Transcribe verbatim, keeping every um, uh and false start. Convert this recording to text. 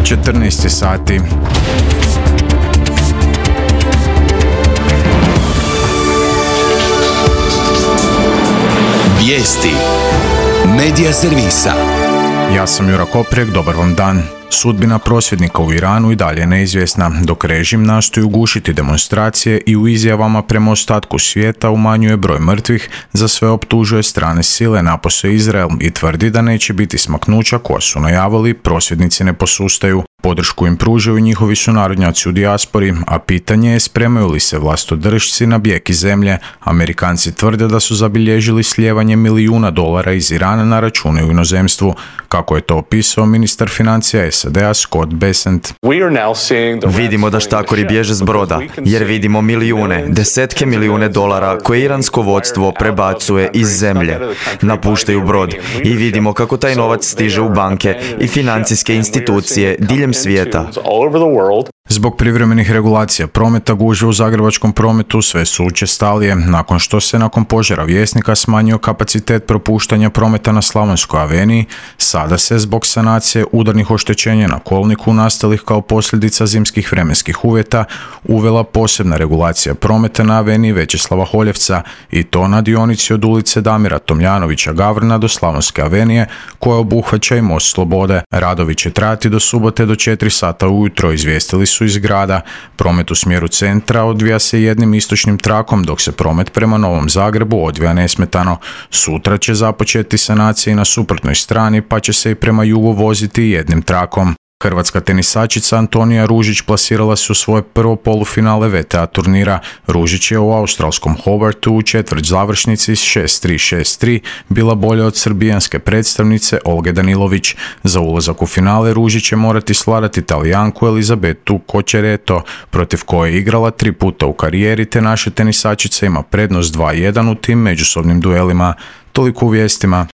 četrnaest je sati. Vijesti Medija servisa. Ja sam Jura Koprijek, dobar vam dan. Sudbina prosvjednika u Iranu i dalje je neizvjesna, dok režim nastoji ugušiti demonstracije i u izjavama prema ostatku svijeta umanjuje broj mrtvih, za sve optužuje strane sile, napose Izrael, i tvrdi da neće biti smaknuća koja su najavili, prosvjednici ne posustaju. Podršku im pružaju njihovi sunarodnjaci u dijaspori, a pitanje je spremaju li se vlastodršci na bijeg iz zemlje. Amerikanci tvrde da su zabilježili slijevanje milijuna dolara iz Irana na račune u inozemstvu, kako je to opisao ministar financija S A D-a Scott Bessent. Vidimo da štakori bježe s broda, jer vidimo milijune, desetke milijune dolara koje iransko vodstvo prebacuje iz zemlje. Napuštaju brod i vidimo kako taj novac stiže u banke i financijske institucije diljem svijeta. Zbog privremenih regulacija prometa gužve u zagrebačkom prometu sve su učestalije, nakon što se nakon požara Vjesnika smanjio kapacitet propuštanja prometa na Slavonskoj aveniji. Sada se zbog sanacije udarnih oštećenja na kolniku nastalih kao posljedica zimskih vremenskih uvjeta uvela posebna regulacija prometa na aveniji Većeslava Holjevca, i to na dionici od ulice Damira Tomljanovića Gavrana do Slavonske avenije, koja obuhvaća i Most Slobode. Radovi će trajati do subote do četiri sata ujutro, izvijestili su iz grada. Promet u smjeru centra odvija se jednim istočnim trakom, dok se promet prema Novom Zagrebu odvija nesmetano. Sutra će započeti sanacija i na suprotnoj strani, pa će se i prema jugu voziti jednim trakom. Hrvatska tenisačica Antonija Ružić plasirala se u svoje prvo polufinale V T A turnira. Ružić je u australskom Hobartu u četvrt završnici s šest tri šest tri bila bolja od srbijanske predstavnice Olge Danilović. Za ulazak u finale Ružić će morati svladati Talijanku Elizabetu Kočereto, protiv koje je igrala tri puta u karijeri, te naša tenisačica ima prednost dva jedan u tim međusobnim duelima. Toliko u vijestima.